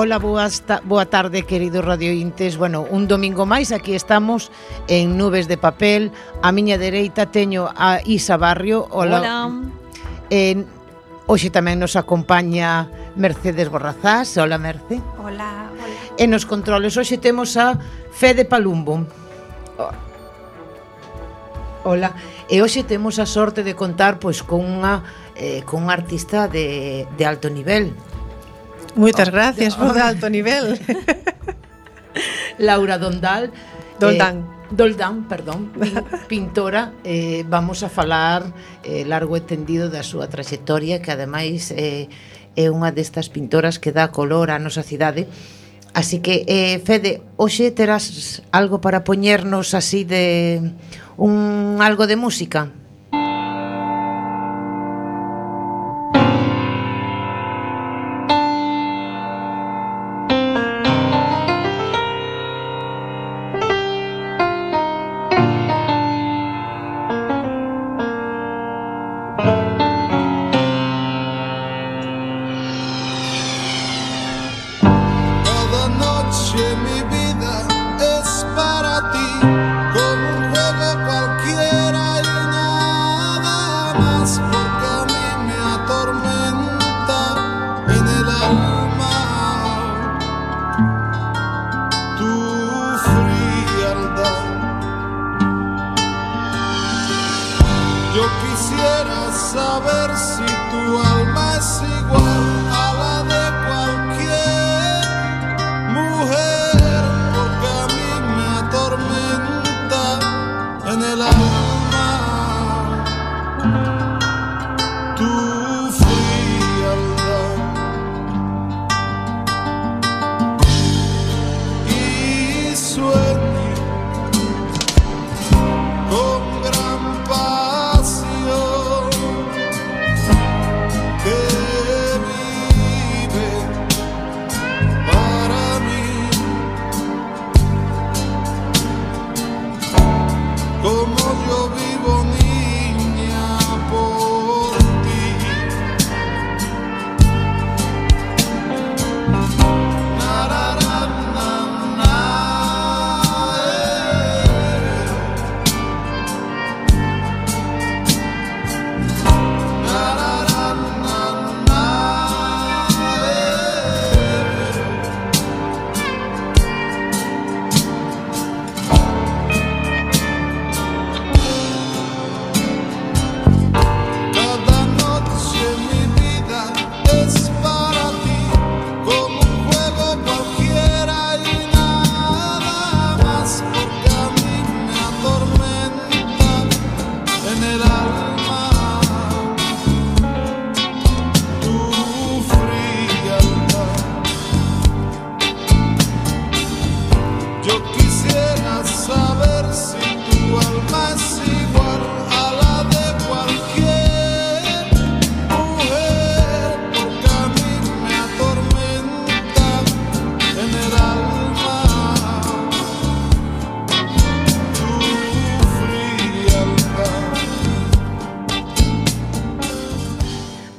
Ola, boa tarde, queridos radiointes. Bueno, un domingo máis, aquí estamos en Nubes de Papel. A miña dereita teño a Isa Barrio. Ola. Hoxe tamén nos acompaña Mercedes Borrazás. Ola, Merce. Hola, hola. E nos controles hoxe temos a Fede Palumbo. Hola. E hoxe temos a sorte de contar pois con unha artista de alto nivel. Moitas gracias por de alto nivel. Laura Doldán, pintora. Vamos a falar largo e tendido da súa traxectoria, que ademais é unha destas pintoras que dá color á nosa cidade. Así que, Fede, hoxe terás algo para poñernos así de algo de música?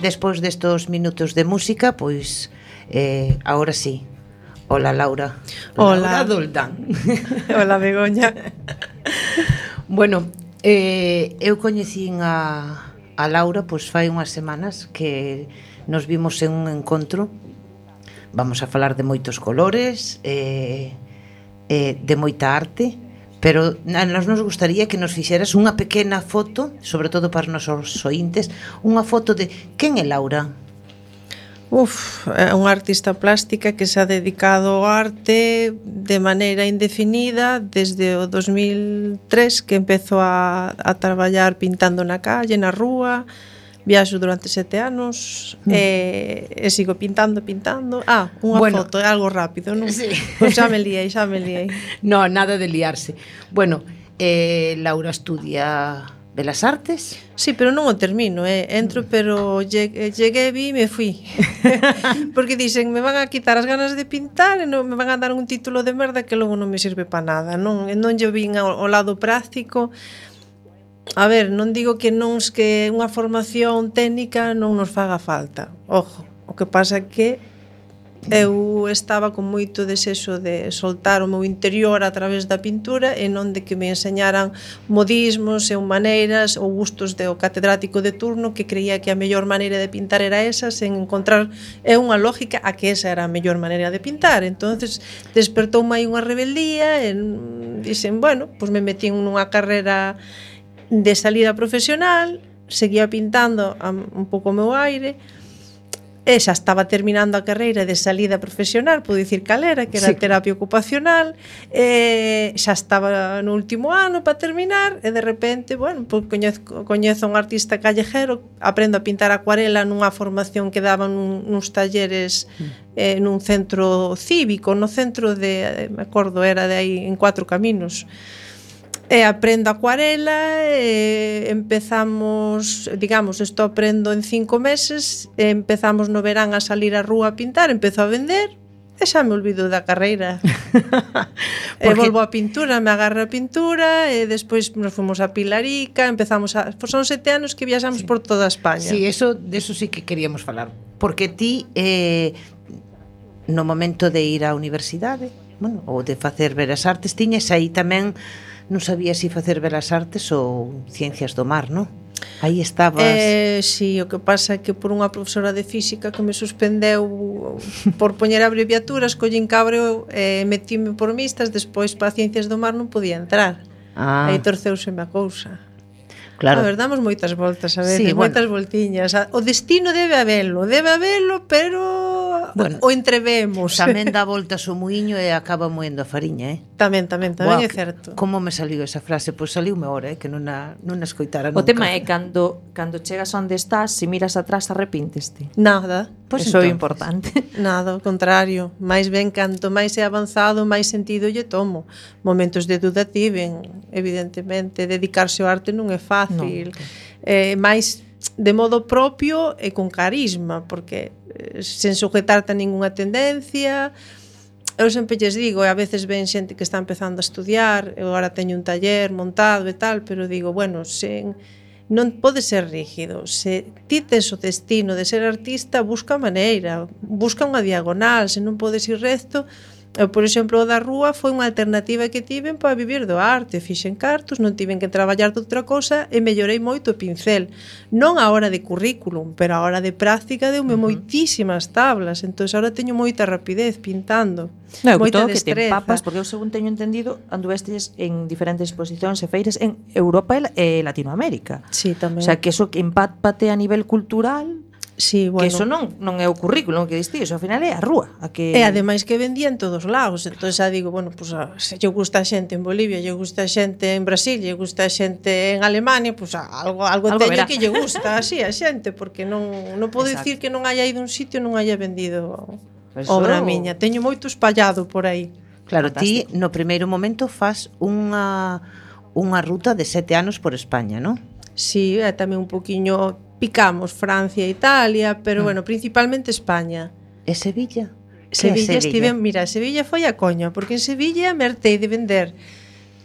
Despois destos minutos de música, pois agora sí. Hola, Laura. Hola. Laura Doldán. Hola, Begoña. Bueno, eu coñecín a Laura pois fai unhas semanas que nos vimos en un encontro. Vamos a falar de moitos colores, de moita arte, pero nos gustaría que nos fixeras unha pequena foto, sobre todo para os nosos ointes, unha foto de quen é Laura? É unha artista plástica que se ha dedicado ao arte de maneira indefinida desde o 2003, que empezou a traballar pintando na calle, na rúa. Viaxo durante 7 anos e sigo pintando. Unha foto, é algo rápido, non? Sí. Pois xa me liei. No, nada de liarse. Bueno, Laura estudia Belas Artes? Sí, pero non o termino, entro, pero cheguei, vi e me fui. Porque dixen, me van a quitar as ganas de pintar e non me van a dar un título de merda que logo non me sirve para nada, non lle vin ao lado práctico. A ver, non digo que unha formación técnica non nos faga falta. Ojo, o que pasa é que Eu estaba con moito desexo de soltar o meu interior a través da pintura e non de que me enseñaran modismos e maneiras ou gustos do catedrático de turno que creía que a mellor maneira de pintar era esa, sen encontrar unha lógica a que esa era a mellor maneira de pintar. Entonces despertou aí unha rebeldía e dixen, bueno, pois me metí nunha carreira de salida profesional, seguía pintando un pouco o meu aire. E xa estaba terminando a carreira de salida profesional, puedo dicir cal era, que era terapia ocupacional, xa estaba no último ano para terminar, e de repente, bueno, pues coñezo un artista callejero, aprendo a pintar acuarela nunha formación que daban nuns talleres nun centro cívico, no centro de, me acordo, era de aí en 4 Caminos. E aprendo acuarela e empezamos, digamos, isto aprendo en 5 meses, e empezamos no verán a salir á rúa a pintar, empezo a vender e xa me olvido da carreira. E volvo a pintura, me agarra a pintura e despois nos fomos a Pilarica, empezamos a... Son 7 anos que viaxamos por toda España. Sí, de eso sí que queríamos falar, porque ti no momento de ir á universidade, bueno, ou de facer Belas Artes, tiñes aí tamén, non sabías se facer Belas Artes ou Ciencias do Mar, non? Aí estabas... Sí, o que pasa é que por unha profesora de física que me suspendeu por poñer abreviaturas, collín cabreo e metíme por mistas, despois para Ciencias do Mar non podía entrar. Aí torceuseme a cousa. Claro. A ver, damos moitas voltas a veces, Sí, moitas voltiñas. O destino debe habelo, pero bueno, o entrevemos. Tamén dá voltas o muiño e acaba moendo a fariña, Tamén é certo. Como me saliu esa frase? Pois saliume ahora, que non a escoitara nunca. O tema é cando chegas onde estás, se miras atrás arrepínteste. Nada. Pois eso é importante. Nada, ao contrario. Mais ben, canto máis é avanzado, máis sentido lle tomo. Momentos de duda tiven, evidentemente. Dedicarse ao arte non é fácil. Mais de modo propio e con carisma, porque sen sujetarte a ningunha tendencia. Eu sempre lles digo, e a veces ven xente que está empezando a estudiar, eu agora teño un taller montado e tal, pero digo, bueno, non pode ser rígido. Se ti tes o destino de ser artista, busca a maneira, busca unha diagonal, se non podes ir recto. Eu, por exemplo, o da rúa foi unha alternativa que tiven para vivir do arte. Fixen cartos, non tiven que traballar de outra cosa e mellorei moito o pincel. Non a hora de currículum, pero a hora de práctica deume moitísimas tablas. Entón, agora teño moita rapidez pintando. Moita destreza. Que te empapas, porque eu según teño entendido, anduvestes en diferentes exposicións e feiras en Europa e Latinoamérica. Sí, tamén. O sea, que eso que empápate a nivel cultural... Sí, bueno. Que eso non é o currículum que diste, eso ao final é a rúa a que... E ademais que vendía en todos lados. Entón xa digo, bueno, pues, se lle gusta a xente en Bolivia, lle gusta a xente en Brasil, lle gusta a xente en Alemania, pues algo teño verá. Que lle gusta así a xente, porque non podo dicir que non haya ido a un sitio e non haya vendido obra miña. Teño moito espallado por aí. Claro, ti no primeiro momento fas unha ruta de 7 anos por España, non? Sí, é tamén un poquiño... Picamos Francia e Italia, pero bueno, principalmente España. E Sevilla? Sevilla estiven, mira, Sevilla foi a coña, porque en Sevilla me hartei de vender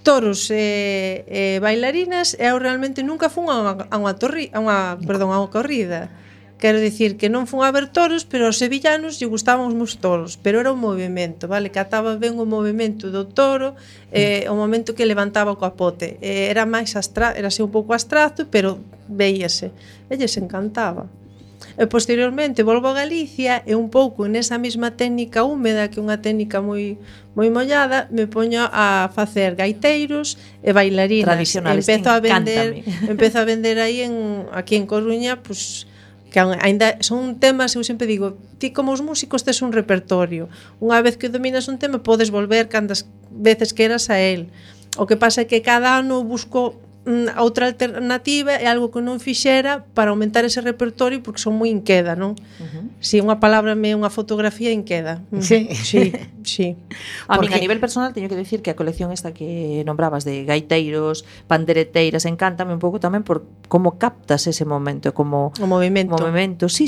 toros e bailarinas e eu realmente nunca fun a unha corrida. Quero dicir que non fun a ver toros, pero aos sevillanos lle gustaban os meus toros, pero era un movimento, vale? Cataba ben o movimento do toro, o momento que levantaba o capote. Era máis era así un pouco abstracto, pero veíase. Elles encantaba. E posteriormente volvo a Galicia e un pouco nesa mesma técnica húmeda, que é unha técnica moi mollada, me poño a facer gaiteiros e bailarinas. Tradicionales, Empezo a vender aí aquí en Coruña, pues, que ainda son temas, eu sempre digo, ti como os músicos tes un repertorio. Unha vez que dominas un tema, podes volver cantas veces queras a él. O que pasa é que cada ano busco outra alternativa e algo que non fixera para aumentar ese repertorio, porque son moi inqueda, non? Si unha palabra é unha fotografía inqueda. Sí. A min a nivel personal teño que decir que a colección esta que nombrabas de gaiteiros, pandereteiras, encántame un pouco tamén por como captas ese momento, como o movimento. Sí,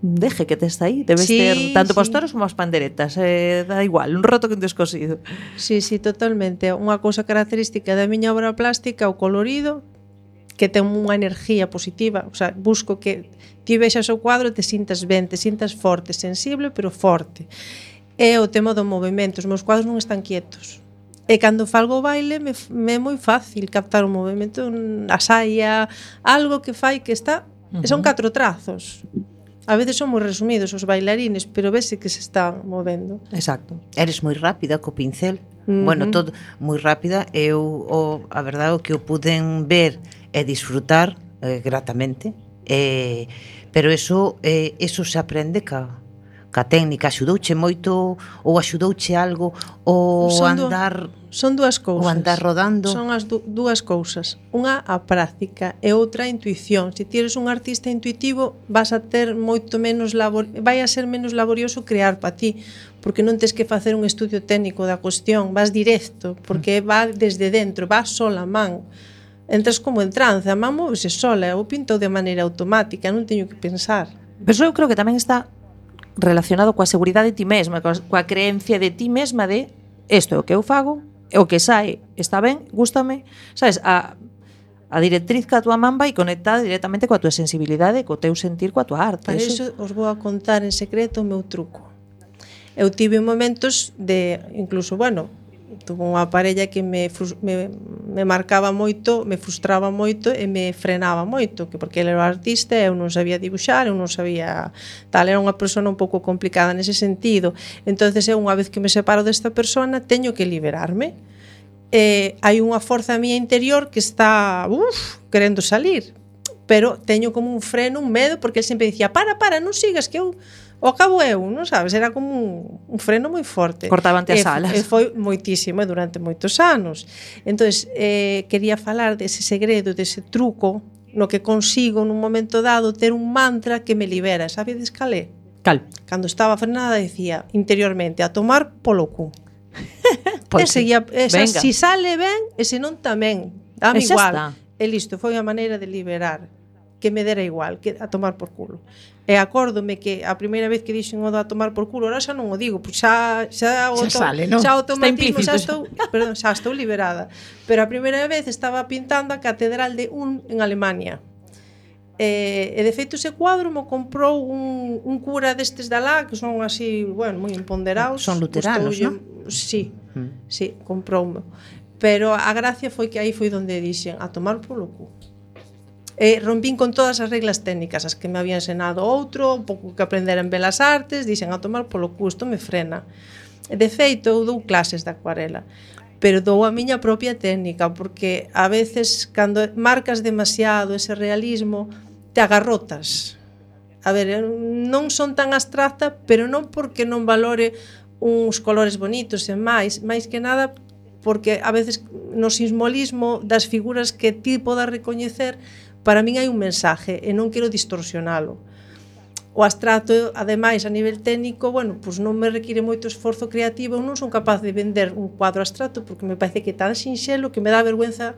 deje que te está aí, debes ter tanto para os toros como as panderetas, da igual, un roto que un descosido. Sí, totalmente. Unha cousa característica da miña obra plástica, o colorido, que ten unha energía positiva, o sea, busco que ti vexas o quadro e te sintas ben, te sintas forte, sensible, pero forte. É o tema do movimento, os meus quadros non están quietos. E cando falgo o baile me é moi fácil captar o movimento, a saia, algo que fai que está, son 4 trazos. A veces son moi resumidos os bailarines, pero vese que se están movendo. Exacto. Eres moi rápida co pincel. Bueno, todo moi rápida. Eu, a verdade, o que eu puden ver e disfrutar gratamente. Pero eso se aprende ca técnica. Axudouche moito ou axudouche algo o andar... Son dúas cousas. O andar rodando. Son as dúas cousas. Unha a práctica e outra a intuición. Se ti eres un artista intuitivo, vas a ter moito menos vai a ser menos laborioso crear para ti, porque non tes que facer un estudio técnico da cuestión, vas directo, porque va desde dentro, vas sola a man. Entras como en trance, a man móvese sola, eu pinto de maneira automática, non teño que pensar. Pero eu creo que tamén está relacionado coa seguridade de ti mesma, coa creencia de ti mesma de isto é o que eu fago, é o que sae, está ben, gústame, sabes, a directriz que a túa man vai conectada directamente coa túa sensibilidade, co teu sentir, coa túa arte. Para iso os vou a contar en secreto o meu truco. Eu tive momentos de, incluso, bueno, tuve unha parella que me marcaba moito, me frustraba moito e me frenaba moito, que porque ele era artista, eu non sabía dibuixar, eu non sabía tal, era unha persona un pouco complicada nese sentido. Entonces eu, unha vez que me separo desta persona, teño que liberarme. Hai unha forza mía interior que está querendo salir, pero teño como un freno, un medo, porque ele sempre dicía, para, non sigas, que eu ao cabo eu, non sabes, era como un freno moi forte. Cortaban-te as alas. E foi moitísimo durante moitos anos. Entonces, quería falar dese segredo, dese truco, no que consigo nun momento dado ter un mantra que me libera. Sabedes cal é? Cal? Cando estaba frenada decía interiormente, a tomar polo cu. Si sale ben, e se non tamén, dame igual. E listo, foi a maneira de liberar, que me dera igual, que a tomar por culo. E acórdome que a primeira vez que dixen o a tomar por culo, ahora xa non o digo, pois xa sale, non? Xa automatismo, xa estou liberada. Pero a primeira vez estaba pintando a Catedral de Ulm en Alemania. E de feito ese cuadro me comprou un cura destes de alá, que son así, bueno, moi imponderados. Son luteranos, non? Sí, comproume. Pero a gracia foi que aí foi onde dixen a tomar polo cu. Rompín con todas as reglas técnicas, as que me había ensinado outro, un pouco que aprender en Belas Artes, dixen a tomar polo cu, isto me frena. De feito, eu dou clases de acuarela, pero dou a miña propia técnica, porque a veces, cando marcas demasiado ese realismo, te agarrotas. A ver, non son tan abstracta, pero non porque non valore uns colores bonitos e máis que nada, porque a veces no simbolismo das figuras que ti podas recoñecer, para min hai un mensaje e non quero distorsionalo. O abstracto, ademais, a nivel técnico, bueno, pues non me require moito esforzo creativo, eu non son capaz de vender un cuadro abstracto porque me parece que é tan sinxelo que me dá vergüenza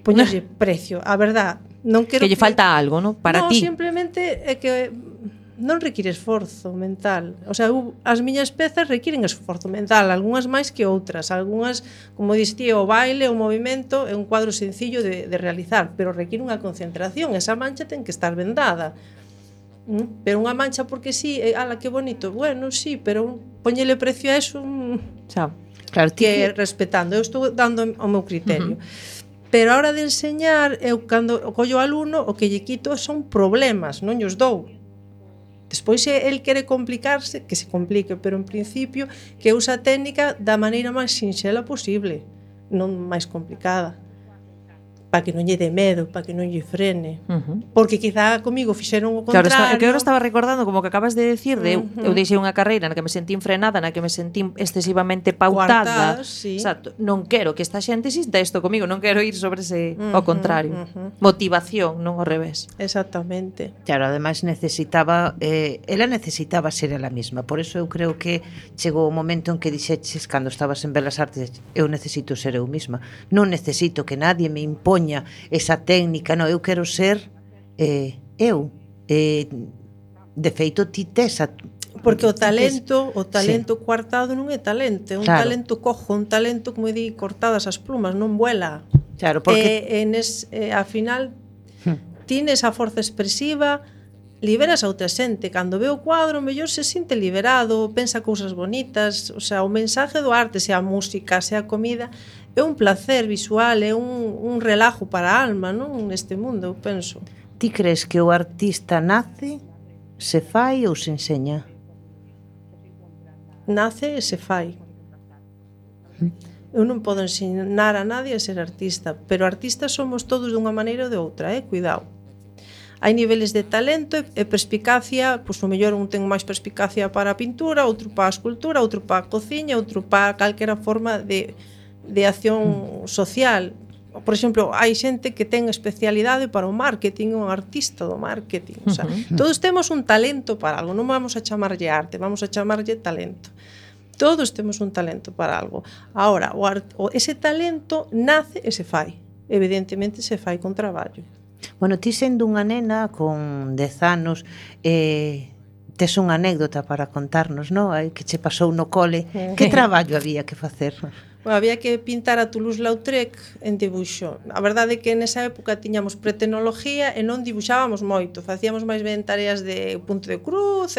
poñerlle precio. A verdad, non quero que lle falta algo, ¿no? Para ti. Non, simplemente é que non require esforzo mental. O sea, as miñas pezas requiren esforzo mental, algunhas máis que outras, algunhas, como dixía, o baile, o movimento, é un cuadro sencillo de realizar, pero require unha concentración, esa mancha ten que estar vendada. Pero unha mancha porque sí, ala, que bonito, bueno, sí, pero poñele precio a eso, claro, que respetando, eu estou dando o meu criterio. Pero a hora de enseñar, eu cando collo ao alumno, o que lle quito son problemas, non llos dou. Despois, se el quere complicarse, que se complique, pero en principio que usa a técnica da maneira máis sinxela posible, non máis complicada, para que non lle dé medo, para que non lle frene. Porque quizá comigo fixeron o contrario. Claro, que eu estaba recordando, como que acabas de decir, eu deixei unha carreira na que me sentín frenada, na que me sentín excesivamente pautada. Sí. Exacto. Non quero que esta xente sinta isto comigo, non quero ir sobre ese, ao contrario. Motivación, non ao revés. Exactamente. Claro, ademais ela necesitaba ser ela mesma. Por eso eu creo que chegou o momento en que dixeches, cando estabas en Belas Artes, eu necesito ser eu mesma. Non necesito que nadie me impoña esa técnica, non, eu quero ser eu. De feito, ti tes porque o talento coartado non é talento, é un talento cojo, un talento, como di, cortadas as plumas, non vuela. Claro, porque a final tienes a forza expresiva, liberas a outra xente. Cando ve o cuadro, mellor se sinte liberado, pensa cousas bonitas, o sea, o mensaje do arte, sea a música, sea a comida, é un placer visual, é un relajo para a alma, non? Neste mundo, eu penso. Ti crees que o artista nace, se fai ou se enseña? Nace e se fai. Eu non podo ensinar a nadie a ser artista, pero artistas somos todos dunha maneira ou de outra, cuidado. Hai niveles de talento e perspicacia, pois o mellor un ten máis perspicacia para a pintura, outro para a escultura, outro para a cociña, outro para calquera forma de acción social. Por exemplo, hai xente que ten especialidade para o marketing, un artista do marketing. O sea, todos temos un talento para algo, non vamos a chamarlle arte, vamos a chamarlle talento. Todos temos un talento para algo. Ahora, ese talento nace e se fai. Evidentemente se fai con traballo. Bueno, ti sendo unha nena con 10 anos, tes unha anécdota para contarnos, non? Que che pasou no cole. Que traballo había que facer? Bueno, había que pintar a Toulouse-Lautrec en dibuixo. A verdade é que nesa época tiñamos pretecnología e non dibuixábamos moito. Facíamos máis ben tareas de punto de cruz,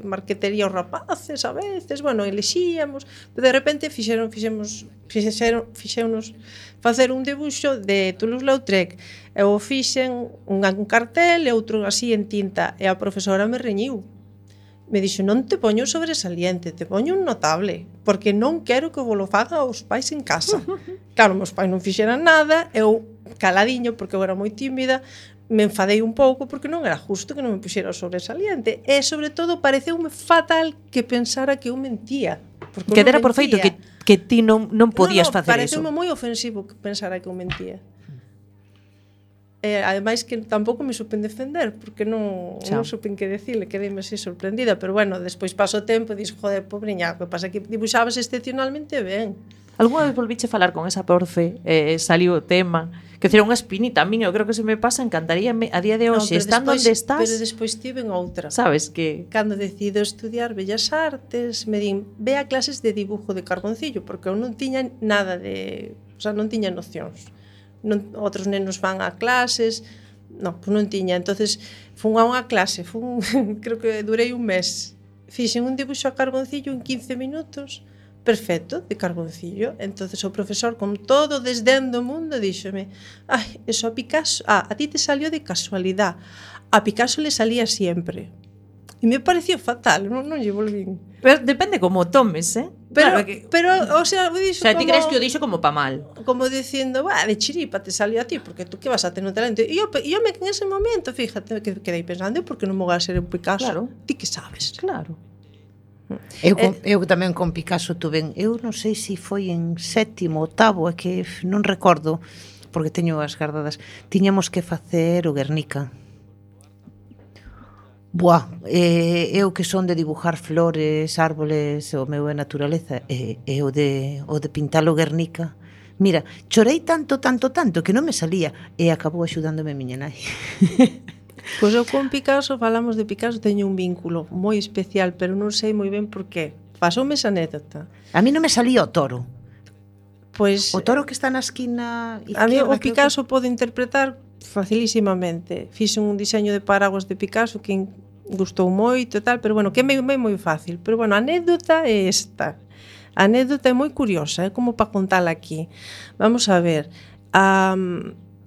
marquetería os rapaces a veces, bueno, elexíamos. Pero de repente fixéronos facer un dibuixo de Toulouse-Lautrec. Eu fixen un cartel e outro así en tinta e a profesora me reñiu. Me dixo, non te poño sobresaliente, te poño un notable, porque non quero que vos lo faga os pais en casa. Claro, meus pais non fixeran nada, eu caladiño, porque eu era moi tímida, me enfadei un pouco porque non era justo que non me puxera o sobresaliente. E, sobre todo, pareceume fatal que pensara que eu mentía. Que dera por feito que ti non podías facer eso. Pareceume moi ofensivo que pensara que eu mentía. Ademais que tampouco me supen defender porque non supen que decirle, quedeime así sorprendida, pero bueno, despois paso o tempo e dixo, joder, pobriña, o que pasa que dibuixabas excepcionalmente ben. Algúna vez volviche falar con esa profe, saliu o tema, que era unha espinita a min, eu creo que se me pasa, encantaríame a día de hoxe, estando onde estás. Pero despois tiven outra. Sabes que cando decido estudiar Bellas Artes, me din, ve a clases de dibujo de carboncillo, porque eu non tiña nada de, o sea, non tiña nocións. Outros nenos van a clases, pois non tiña. Entonces fun a unha clase, creo que durei un mes, fixen un dibuixo a carboncillo en 15 minutos, perfecto, de carboncillo. Entonces o profesor, con todo o desdén do mundo, díxome, eso a Picasso, a ti te salió de casualidad, a Picasso le salía siempre. E me pareció fatal, non lle volvín. Pero depende como tomes, Pero, o sea, dixo ti crees que o dixo como pa mal. Como dicindo, de chiripa te salió a ti, porque tú que vas a ter un talento. E eu en ese momento, fíjate, que quedei pensando, por que non me vou a ser un Picasso? Claro. Ti que sabes? Claro. Eu tamén con Picasso tuve, eu non sei se foi en 7º, 8º, é que non recordo, porque teño as gardadas. Tiñamos que facer o Guernica. Eu que son de dibujar flores, árboles, o meu é naturaleza, e o de pintar o Guernica. Mira, chorei tanto que non me salía, e acabou axudándome a miña nai. Pois eu con Picasso, falamos de Picasso, teño un vínculo moi especial, pero non sei moi ben por qué. Pasoume esa anécdota. A mí non me salía o toro. Pois o toro que está na esquina izquierda. A mí o Picasso pode interpretar facilísimamente. Fixen un diseño de paraguas de Picasso que gustou moito e tal, pero bueno, que é moi fácil. Pero bueno, a anécdota é esta. A anécdota é moi curiosa, é como para contala aquí. Vamos a ver.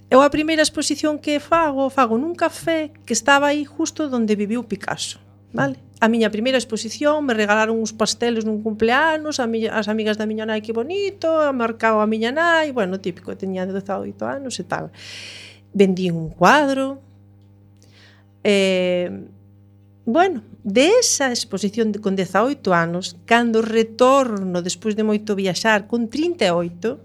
Eu a primeira exposición que fago nun café que estaba aí justo onde viviu Picasso, vale? A miña primeira exposición, me regalaron uns pasteles nun cumpleanos, as amigas da miña nai, que bonito, marcado a miña nai, bueno, típico, teña 18 anos e tal. Vendí un cuadro. Bueno, de esa exposición con 18 anos, cando retorno despois de moito viaxar con 38,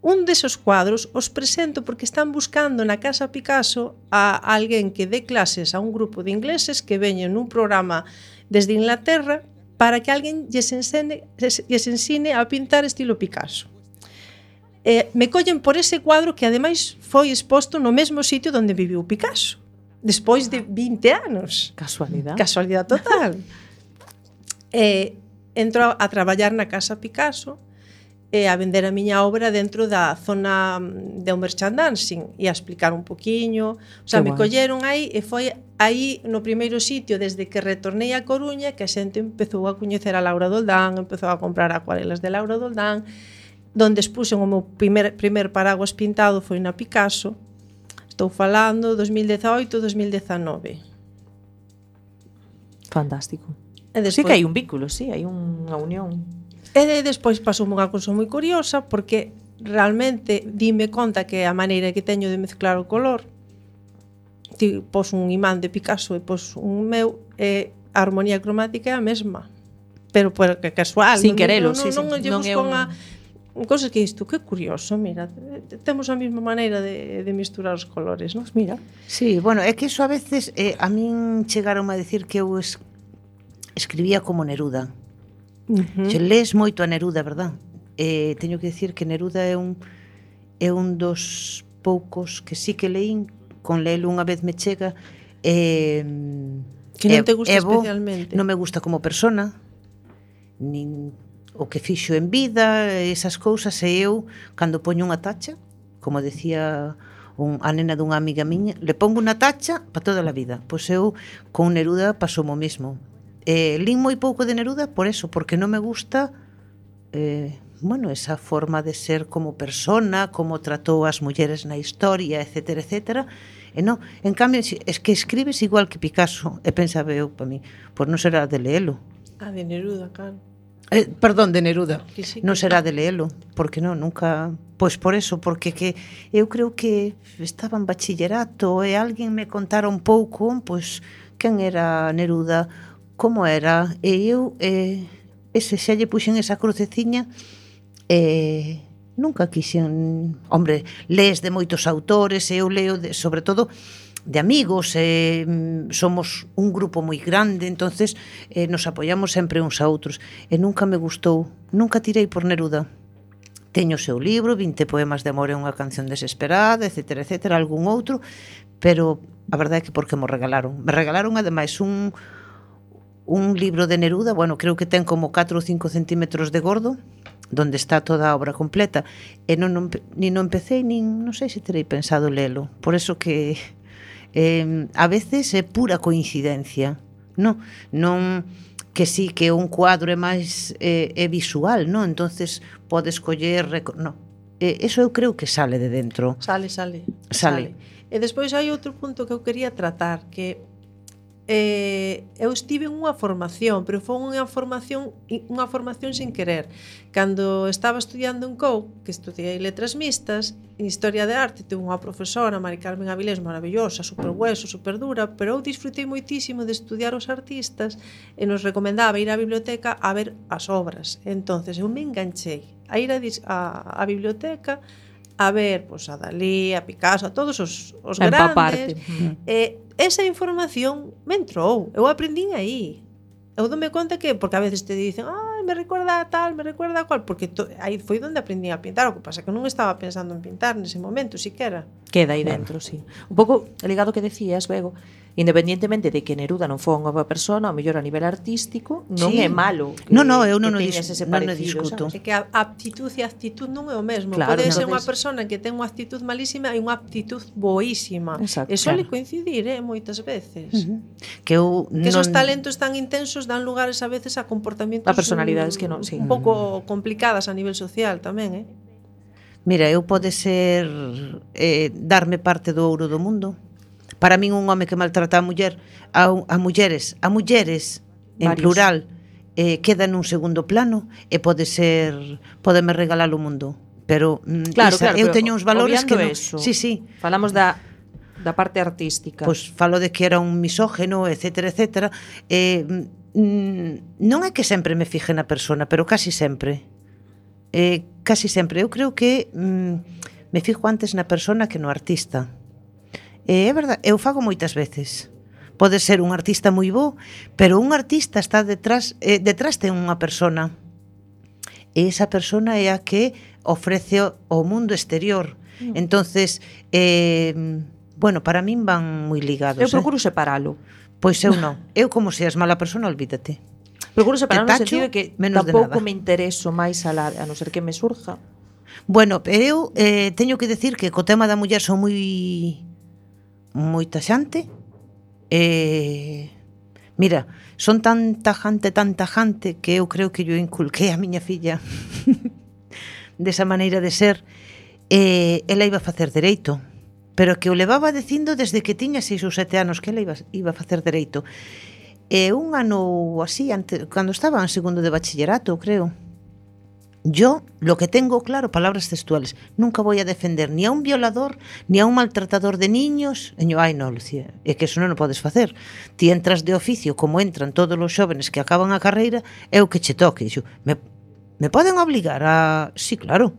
un desos cuadros os presento porque están buscando na Casa Picasso a alguén que dé clases a un grupo de ingleses que veñen nun programa desde Inglaterra para que alguén lles ensine a pintar estilo Picasso. Me collen por ese cuadro que ademais foi exposto no mesmo sitio onde viviu Picasso, despois de 20 anos. Casualidade total. Entro a traballar na Casa Picasso e a vender a miña obra dentro da zona de un merchandising e a explicar un poquiño. O sea, me colleron aí e foi aí no primeiro sitio desde que retornei a Coruña que a xente empezou a coñecer a Laura Doldán, empezou a comprar acuarelas de Laura Doldán, donde expuxen o meu primer paraguas pintado foi na Picasso. Estou falando 2018-2019. Fantástico. Despois, sí que hai un vínculo, sí, hai unha unión. E despois pasou unha cousa moi curiosa porque realmente dime conta que a maneira que teño de mezclar o color, ti pos un imán de Picasso e pos un meu, a armonía cromática é a mesma, pero que casual, sin querelo, non é cousas que isto, que curioso, mira, temos a mesma maneira de misturar os colores, non? Mira. Sí, bueno, é que iso a veces a min chegaron a decir que eu escribía como Neruda. Se lees moito a Neruda, verdad? Teño que decir que Neruda é un dos poucos que sí que leín, con leelo unha vez me chega. Que non te gusta especialmente? Non me gusta como persona, nin o que fixo en vida, esas cousas, e eu, cando poño unha tacha, como decía a nena dunha amiga miña, le pongo unha tacha para toda a vida. Pois eu, con Neruda, pasou o mesmo. Lín moi pouco de Neruda por eso, porque non me gusta esa forma de ser como persona, como tratou as mulleres na historia, etcétera, etcétera. E non, en cambio, es que escribes igual que Picasso, e pensaba eu para mí, pois non será de leelo. De Neruda, claro. Perdón, de Neruda. Sí, non será de leelo, porque non, nunca. Pois por eso, porque que eu creo que estaba en bachillerato e alguén me contara un pouco, pois quen era Neruda, como era, e eu xa lle puxen esa cruceciña, nunca quixen, hombre, lees de moitos autores, e eu leo sobre todo de amigos, somos un grupo moi grande, entonces nos apoiamos sempre uns a outros, e nunca me gustou, nunca tirei por Neruda. Teño o seu libro, 20 poemas de amor e unha canción desesperada, etcétera, etcétera, algún outro, pero a verdade é que porque me regalaron ademais un libro de Neruda, bueno, creo que ten como 4 ou 5 centímetros de gordo, donde está toda a obra completa, e non empecé, nin non sei se terei pensado lelo, por eso que a veces é pura coincidencia, non que sí, que un cuadro é máis visual, non? Entonces podes coller, non, eso eu creo que sale de dentro. Sale. E despois hai outro punto que eu quería tratar, que eu estive en unha formación, pero foi unha formación sin querer. Cando estaba estudiando en COU, que estudiei letras mixtas, en historia de arte, tuve unha profesora, Mari Carmen Avilés, maravillosa, super hueso, super dura, pero eu disfrutei moitísimo de estudiar os artistas e nos recomendaba ir á biblioteca a ver as obras. Entonces eu me enganchei a ir a biblioteca a ver a Dalí, a Picasso, a todos os grandes. Esa información me entrou, eu aprendín aí. Eu dome conta que, porque a veces te dicen, me recuerda a tal, me recuerda a cual, porque aí foi onde aprendí a pintar, o que pasa que non estaba pensando en pintar nese momento, siquera. Queda aí dentro, sí. Un pouco ligado que decías, Bego, independientemente de que Neruda non foi unha boa persona, ao mellor a nivel artístico, non é malo. Eu non discuto. É que a aptitud e a actitud non é o mesmo. Claro, pode ser unha persona que ten unha actitud malísima e unha aptitud boísima. Exacto, e suele coincidir, moitas veces. Que esos talentos tan intensos dan lugares a veces a comportamientos a personalidades que non, sí. Un pouco complicadas a nivel social tamén, Mira, eu pode ser darme parte do ouro do mundo. Para min un home que maltrata a mulleres en plural, queda nun segundo plano e podeme regalar o mundo. Pero claro, eu teño uns valores que non. Eso, sí. Falamos da parte artística. Pois falo de que era un misógeno, etcétera, etcétera. Non é que sempre me fije na persona, pero casi sempre. Eu creo que me fijo antes na persona que no artista. É verdade, eu fago moitas veces. Pode ser un artista moi bo, pero un artista está detrás ten unha persona. E esa persona é a que ofrece o mundo exterior. Entonces, para min van moi ligados. Eu procuro separalo. Pois eu non. Eu, como seas mala persona, olvídate. Procuro separar no tacho, sentido de que menos de tampouco nada. me intereso máis a non ser que me surja. Bueno, eu teño que decir que co tema da muller son moi taxante. Mira, son tan tajante que eu creo que yo inculquei a miña filla desa maneira de ser. Ela iba a facer dereito, pero que o levaba dicindo desde que tiña 6 ou 7 anos que ela iba a facer dereito. Un ano así, cando estaba en segundo de bachillerato, creo. Yo, lo que tengo claro, palabras textuales, nunca voy a defender ni a un violador, ni a un maltratador de niños. E yo, ai non, Lucía, é que eso non o podes facer. Ti entras de oficio, como entran todos os xóvenes que acaban a carreira, é o que che toque. Yo, me poden obligar a... Sí, claro.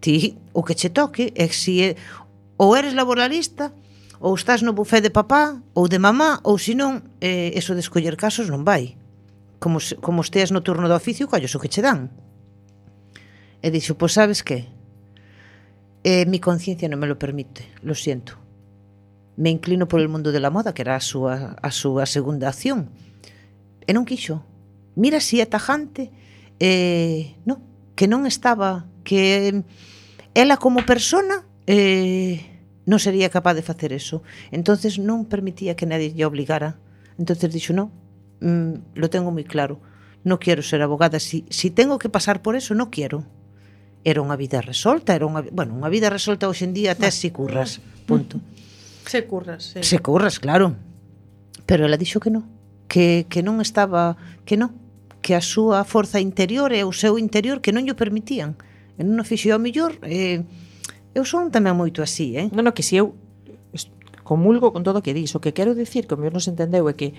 Ti, o que che toque é que si ou eres laboralista, ou estás no bufé de papá ou de mamá, ou senón, eso de escoller casos non vai. Como esteas no turno do oficio, colles o que che dan. E dixo, pois sabes que? Mi conciencia non me lo permite, lo siento. Me inclino por el mundo de la moda, que era a súa segunda acción. E non quixo. Mira si é tajante, no, que non estaba, que ela como persona non sería capaz de facer eso. Entonces non permitía que nadie lle obligara. Entonces dixo, no, lo tengo moi claro. No quiero ser abogada. Si tengo que pasar por eso, no quiero. Era unha vida resolta, unha vida resolta hoxe en día até si curras, punto. Se curras, sí. Se curras, claro. Pero ela dixo que non, que non estaba, que non, que a súa forza interior e o seu interior que non llo permitían. E non o fixo ao mellor, eu son tamén moito así, Non, que si eu comulgo con todo o que dis, o que quero dicir, que o mellor non se entendeu, é que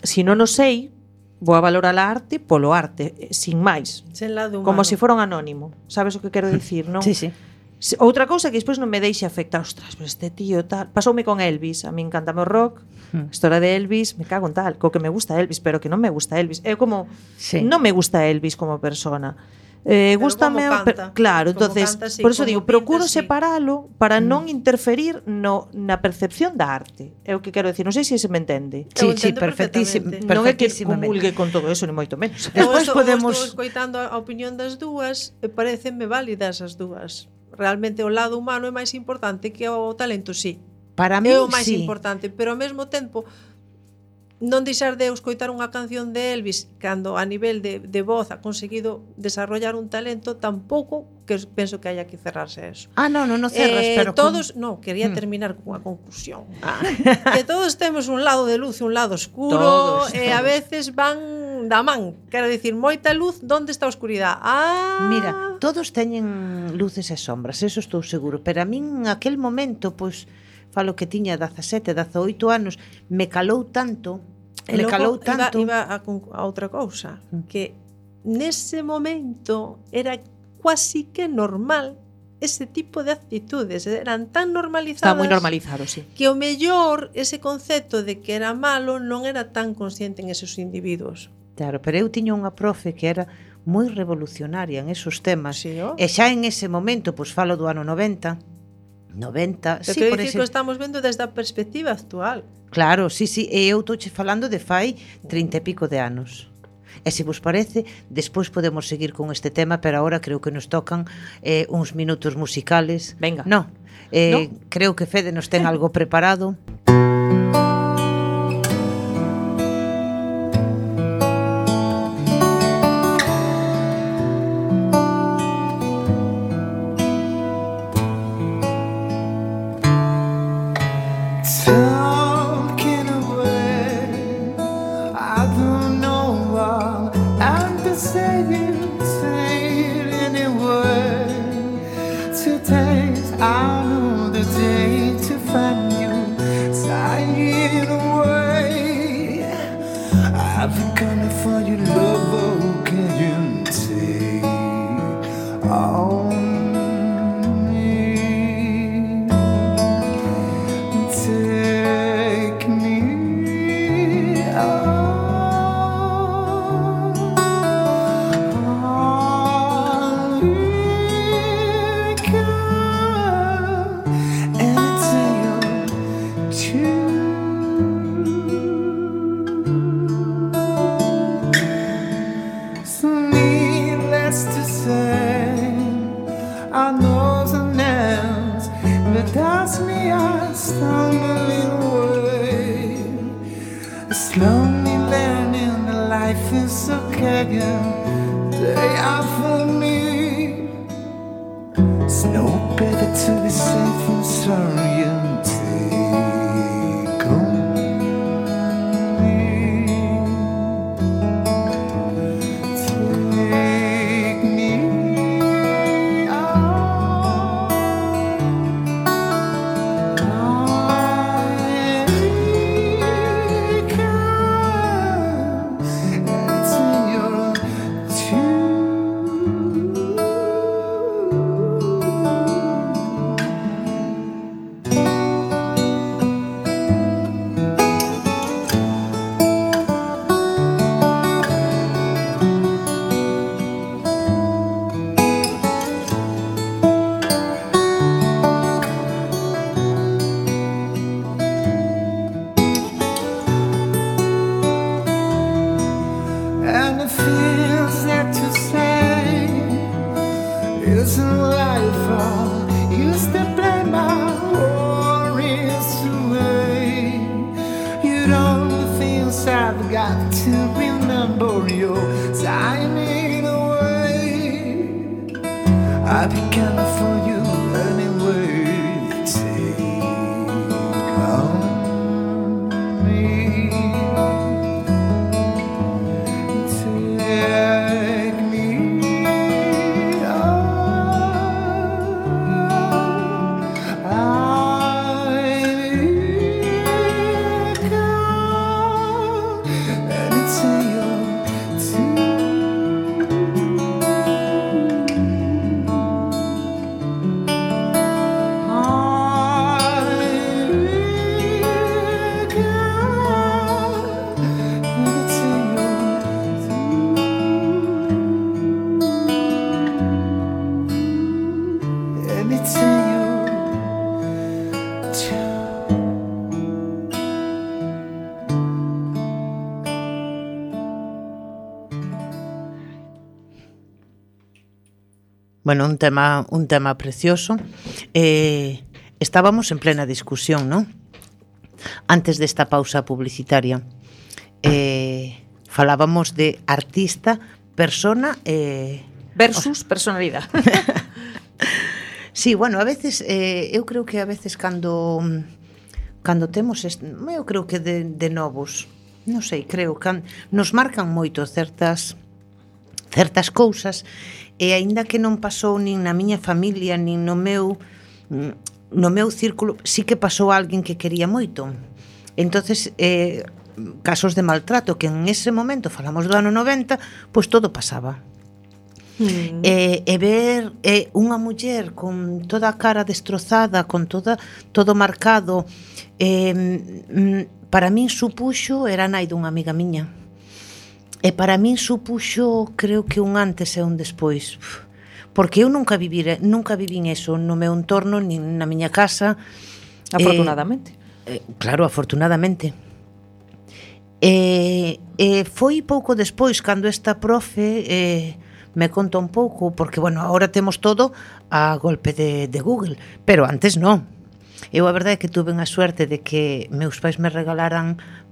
si non o sei, vou a valorar a arte polo arte, sin máis. Sen lado humano. Como se fora un anónimo. Sabes o que quero dicir, non? Sí, sí. Outra cousa que despois non me deixe afectar, ostras, pero este tío tal, pasoume con Elvis, a mí encantame o rock, a historia de Elvis, me cago en tal, co que me gusta Elvis, pero que non me gusta Elvis. É como sí. Non me gusta Elvis como persona. Gústame, claro, como entonces, canta, sí, por eso digo, pinta, procuro sí. separalo para non interferir na percepción da arte. É o que quero decir, non sei se se me entende. Sí, perfectísimo. Non é que comulgue con todo eso, ni moito menos. Despois podemos... Estou escoitando a opinión das dúas e parecenme válidas as dúas. Realmente o lado humano é máis importante que o talento, sí. Para mí, é o máis sí. importante, pero ao mesmo tempo non deixar de escoitar unha canción de Elvis cando a nivel de voz ha conseguido desarrollar un talento, tampouco que penso que haya que cerrarse a eso. Non cerras, pero todos, quería terminar cunha conclusión. Que todos temos un lado de luz e un lado oscuro, e a veces van da man. Quero dicir, moita luz, onde está a oscuridade? Mira, todos teñen luces e sombras, eso estou seguro, pero a min en aquel momento, pois falo que tiña 17, 18 anos, me calou tanto, iba a outra cousa, que nese momento era quasi que normal ese tipo de actitudes, eran tan normalizadas. Está moi normalizado, sí. Que o mellor ese concepto de que era malo non era tan consciente en esos individuos. Claro, pero eu tiña unha profe que era moi revolucionaria en esos temas, sí, e xa en ese momento, pois falo do ano 90, pero sí, por dicir que estamos vendo desde a perspectiva actual. Claro, sí, e eu touche falando de fai 30 e pico de anos. E se vos parece, despois podemos seguir con este tema, pero agora creo que nos tocan uns minutos musicales. Venga. No, creo que Fede nos ten algo preparado. God knows an end, but that's me, I stumbling away. Slowly learning that life is okay again, day after me. It's no better to be safe and sorry and take on me. Take me out. I can. It's in your tune. And it feels that to say isn't life all used to play my worries away. You know the things I've got to remember your time in a way. I began for you anyway. Take on me. Take me out. I come, and it's in your Bueno, un tema precioso. Estábamos en plena discusión, ¿no? Antes desta pausa publicitaria. Falábamos de artista, persona... Versus personalidade. Sí, bueno, a veces, eu creo que a veces cando temos, eu creo que de novos, non sei, creo que nos marcan moito certas cousas, e aínda que non pasou nin na miña familia, nin no meu círculo, sí que pasou alguén que quería moito. Entonces, casos de maltrato, que en ese momento, falamos do ano 90, pois todo pasaba. E ver unha muller con toda a cara destrozada, con todo marcado, para min supuxo, era nai dunha amiga miña, e para min supuxo, creo que un antes e un despois, porque eu nunca vivín eso no meu entorno, nin na miña casa. Afortunadamente. Claro, afortunadamente. Foi pouco despois cando esta profe me conta un pouco, porque, bueno, agora temos todo a golpe de Google, pero antes non. Eu a verdade é que tuve a suerte de que meus pais me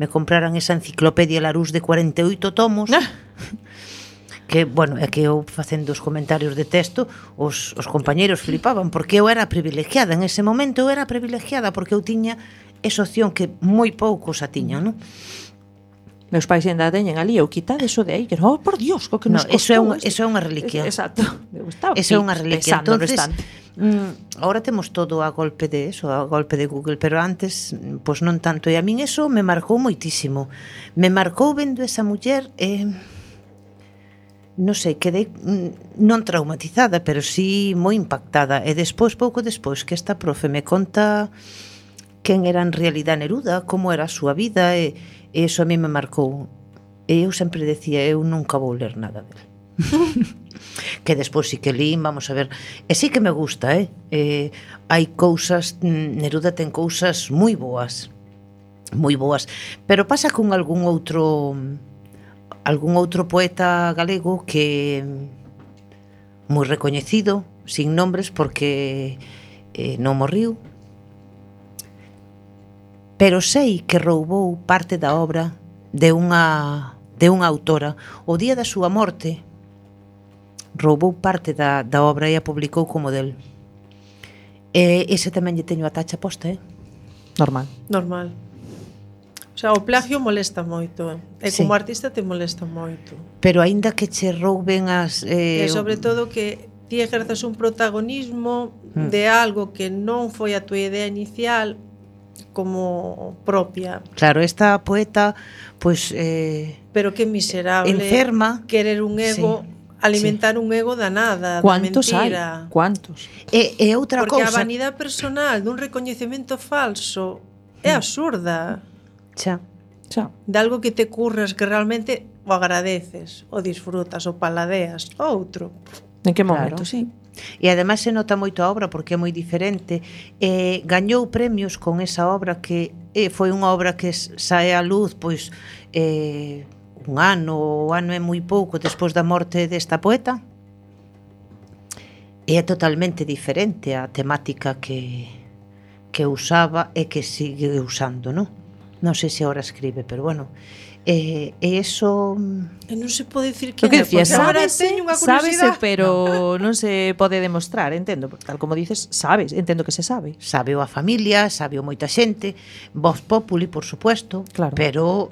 compraran esa enciclopedia Larousse de 48 tomos, que, bueno, é que eu facendo os comentarios de texto, os compañeiros flipaban, porque eu era privilegiada, en ese momento eu era privilegiada, porque eu tiña esa opción que moi poucos a tiñan, non? Meus pais ainda teñen ali, eu quitade eso de aí, que oh, por Dios, co que nos costou. Eso é unha reliquia. Exacto. Eso é unha reliquia. Entonces, ahora temos todo a golpe de eso, a golpe de Google, pero antes, pois non tanto. E a min eso me marcou moitísimo. Me marcou vendo esa muller, non sei, quedei non traumatizada, pero sí moi impactada. E despois, pouco despois, que esta profe me conta quen era en realidad Neruda, como era a súa vida, e iso a mí me marcou. E eu sempre decía, eu nunca vou ler nada dele. Que despois sí que lín, vamos a ver. E sí que me gusta, hai cousas, Neruda ten cousas moi boas, pero pasa con algún outro poeta galego que moi recoñecido, sin nombres porque non morriu, pero sei que roubou parte da obra de unha autora. O día da súa morte roubou parte da obra e a publicou como del. Ese tamén lle teño a tacha posta, Normal. Normal. O sea, o plagio molesta moito, e como artista te molesta moito. Pero aínda que che rouben as... E sobre todo que ti ejerzas un protagonismo de algo que non foi a tua idea inicial como propia. Claro, esta poeta, pois... Pero que miserable enferma. querer un ego, alimentar un ego da nada, da mentira. Cuántos? E outra Porque cousa... a vanidade personal dun recoñecemento falso é absurda. Xa. De algo que te curras que realmente o agradeces, o disfrutas, o paladeas, outro. En que momento, sí. E ademais se nota moito a obra porque é moi diferente. Gañou premios con esa obra que foi unha obra que sae á luz pois un ano, o ano é moi pouco despois da morte desta poeta. É totalmente diferente a temática que usaba e que sigue usando, non? Non sei se agora escribe, pero bueno. E iso... E non se pode dicir que é, decía, sábese, pero non se pode demostrar, entendo, tal como dices, sabes, entendo que se sabe. Sabe a familia, sabe moita xente, Voz Populi, por supuesto, claro. Pero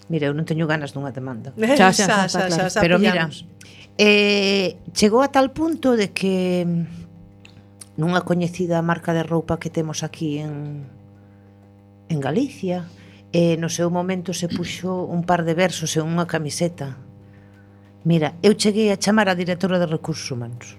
mira, eu non teño ganas dunha demanda. Xa, pero mira, chegou a tal punto de que nunha coñecida marca de roupa que temos aquí en Galicia, no seu momento se puxo un par de versos en unha camiseta. Mira, eu cheguei a chamar a directora de Recursos Humanos.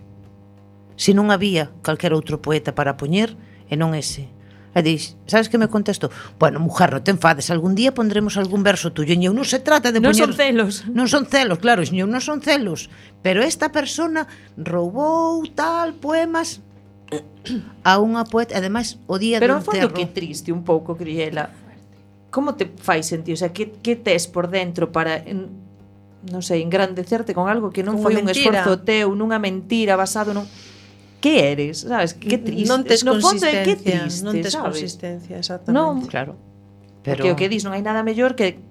Se non había calquer outro poeta para poñer, e non ese. E dix, sabes que me contestou? Bueno, mujer, non te enfades, algún día pondremos algún verso tuyo. E eu non se trata de poñer... Non son celos. Non son celos, claro, eu non son celos. Pero esta persona roubou tal poemas a unha poeta, ademais o día do enterro. Pero que triste un pouco, Criela. Como te fai sentir? O sea, que tes por dentro para, non sei, engrandecerte con algo que non foi un esforzo teu, nunha mentira basado nun... Que eres, sabes? Que triste. Non tes consistencia, que triste, non tes sabes? consistencia, exactamente. Non, claro. Pero porque o que dis non hai nada mellor que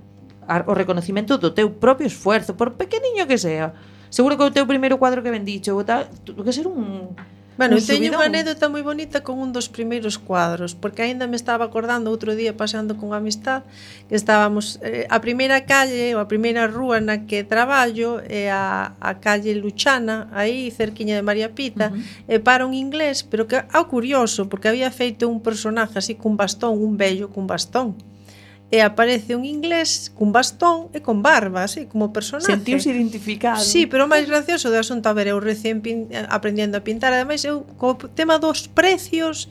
o reconocimento do teu propio esfuerzo, por pequeniño que sea. Seguro que o teu primeiro cuadro que vendicho, tuvo que ser un... Bueno, teño unha anécdota moi bonita con un dos primeiros cuadros, porque aínda me estaba acordando outro día paseando con amistad que estábamos a primeira calle ou a primeira rúa na que traballo é a calle Luchana, aí cerquiña de María Pita, e para un inglés, pero que curioso, porque había feito un personaje así cun bastón, un vello cun bastón. E aparece un inglés cun bastón e con barba, así, como personaje. Sentiuse identificado. Sí, pero o máis gracioso do asunto, a ver, eu recén aprendendo a pintar, ademais, eu, co tema dos precios,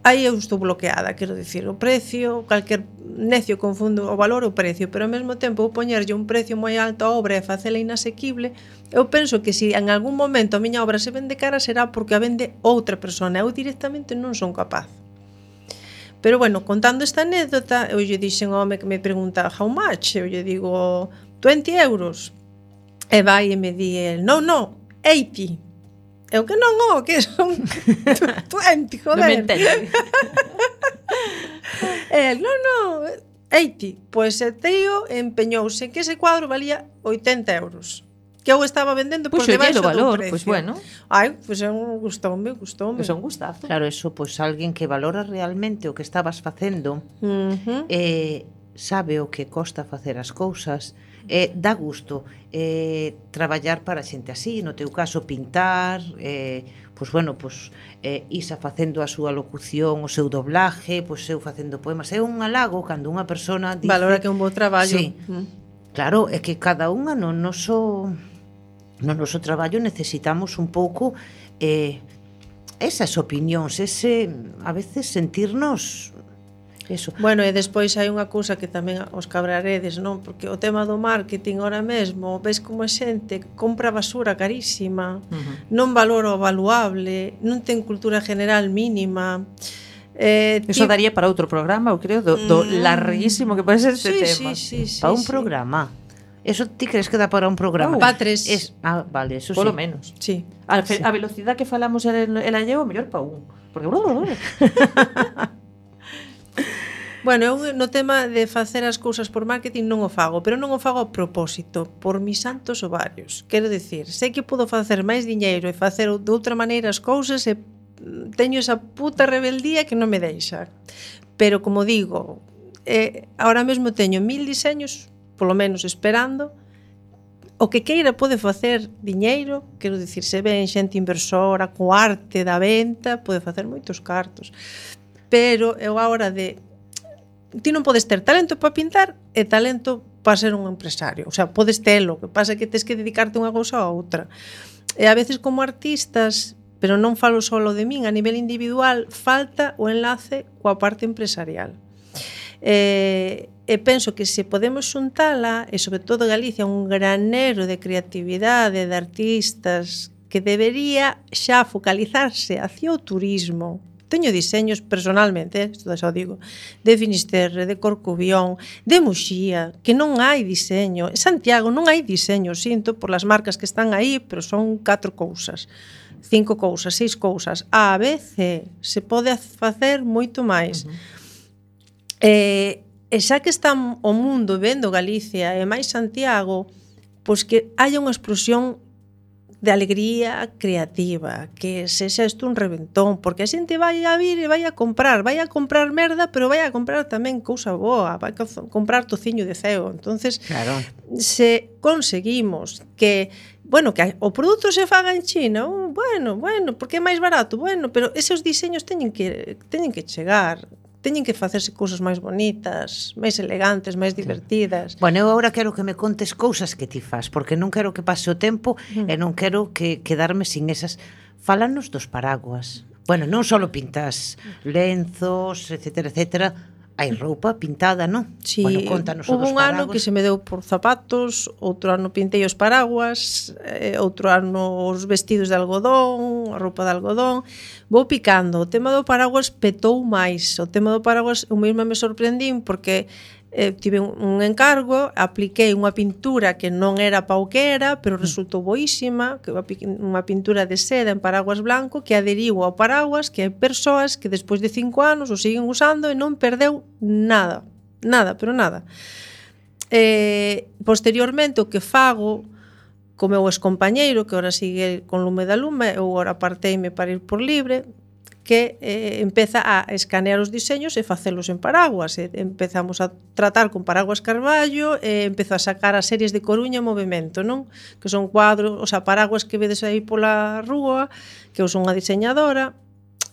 aí eu estou bloqueada, quero dicir, o precio, calquer necio confundo o valor e o precio, pero ao mesmo tempo eu poñerlle un precio moi alto a obra e facela inasequible, eu penso que se en algún momento a miña obra se vende cara será porque a vende outra persona, eu directamente non son capaz. Pero bueno, contando esta anécdota, eu lle dixen ao home que me pregunta how much, eu lle digo 20 euros. E vai e me di el, no, 80. Eu que non, que son 20, joder. Non me entende. El, no, 80. Pois el tío empeñouse que ese cuadro valía 80 euros. Que eu estaba vendendo por debaixo do valor, precio. Pois bueno. Ai, pois gustoume. Pois un gustazo. Claro, eso, pois alguén que valora realmente o que estabas facendo, sabe o que costa facer as cousas, dá gusto traballar para xente así, no teu caso pintar, pois bueno, pois Isa facendo a súa locución, o seu doblaje, pois eu facendo poemas, é un halago cando unha persona dice, valora que é un bo traballo. Sí. Claro, é que cada unha no noso traballo necesitamos un pouco esas opinións, a veces sentirnos eso. Bueno, e despois hai unha cousa que tamén os cabraredes, non? Porque o tema do marketing ahora mesmo, ves como a xente compra basura carísima, non valora o valuable, non ten cultura general mínima. Eso daría para outro programa, eu creo, do larguísimo que pode ser este tema. Para un programa. Eso ti crees que dá para un programa? Pa 3. Vale, eso Polo sí. menos. Sí. A velocidade que falamos ela llevo, mellor pa un. Porque Bueno, eu no tema de facer as cousas por marketing non o fago, pero non o fago a propósito, por mis santos ovarios. Quero dicir, sei que podo facer máis diñeiro e facer de outra maneira as cousas e teño esa puta rebeldía que non me deixa. Pero, como digo, ahora mesmo teño 1000 diseños, polo menos esperando. O que queira pode facer diñeiro, quero dicir, se ven xente inversora, co arte da venta, pode facer moitos cartos. Pero eu a hora de... Ti non podes ter talento para pintar e talento para ser un empresario. O sea, podes telo, o que pasa é que tes que dedicarte unha cousa a outra. E a veces como artistas, pero non falo solo de min, a nivel individual, falta o enlace coa parte empresarial. E penso que se podemos xuntala, e sobre todo Galicia, un granero de creatividade, de artistas, que debería xa focalizarse hacia o turismo. Teño diseños personalmente, isto xa o digo, de Finisterre, de Corcubión, de Muxía, que non hai diseño. En Santiago non hai diseño, sinto por las marcas que están aí, pero son 4 cousas, 5 cousas, 6 cousas. A, B, C. Se pode facer moito máis. E xa que está o mundo vendo Galicia e máis Santiago, pois que haya unha explosión de alegría creativa, que sexa isto un reventón, porque a xente vai a vir e vai a comprar merda, pero vai a comprar tamén cousa boa, vai a comprar tociño de ceo. Entonces, Claro. se conseguimos que, bueno, que o produto se faga en China, bueno, porque é máis barato, bueno, pero esos diseños teñen que chegar, teñen que facerse cousas máis bonitas, máis elegantes, máis divertidas. Bueno, eu agora quero que me contes cousas que ti fas, porque non quero que pase o tempo e non quero que quedarme sin esas. Fálanos dos paraguas. Bueno, non só pintas lenzos, etcétera, etcétera. Hai roupa pintada, non? Sí, Bueno, contanos o hubo dos un ano paraguas. que se me deu por zapatos, outro ano pintei os paraguas, outro ano os vestidos de algodón, a roupa de algodón. Vou picando. O tema do paraguas petou máis. O tema do paraguas eu mesma me sorprendín porque tive un encargo, apliquei unha pintura que non era pa o que era, pero resultou boísima, que unha pintura de seda en paraguas blanco que adheriu ao paraguas, que hai persoas que despois de 5 anos o siguen usando e non perdeu nada, pero nada. Posteriormente o que fago co meu excompañeiro, que ora sigue con Lume da Lume, eu ora parteime para ir por libre, que empeza a escanear os diseños e facelos en paraguas. Empezamos a tratar con Paraguas Carballo e empezo a sacar as series de Coruña en movimento, non? Que son cuadros, o sea, paraguas que vedes aí pola rúa, que eu son unha diseñadora,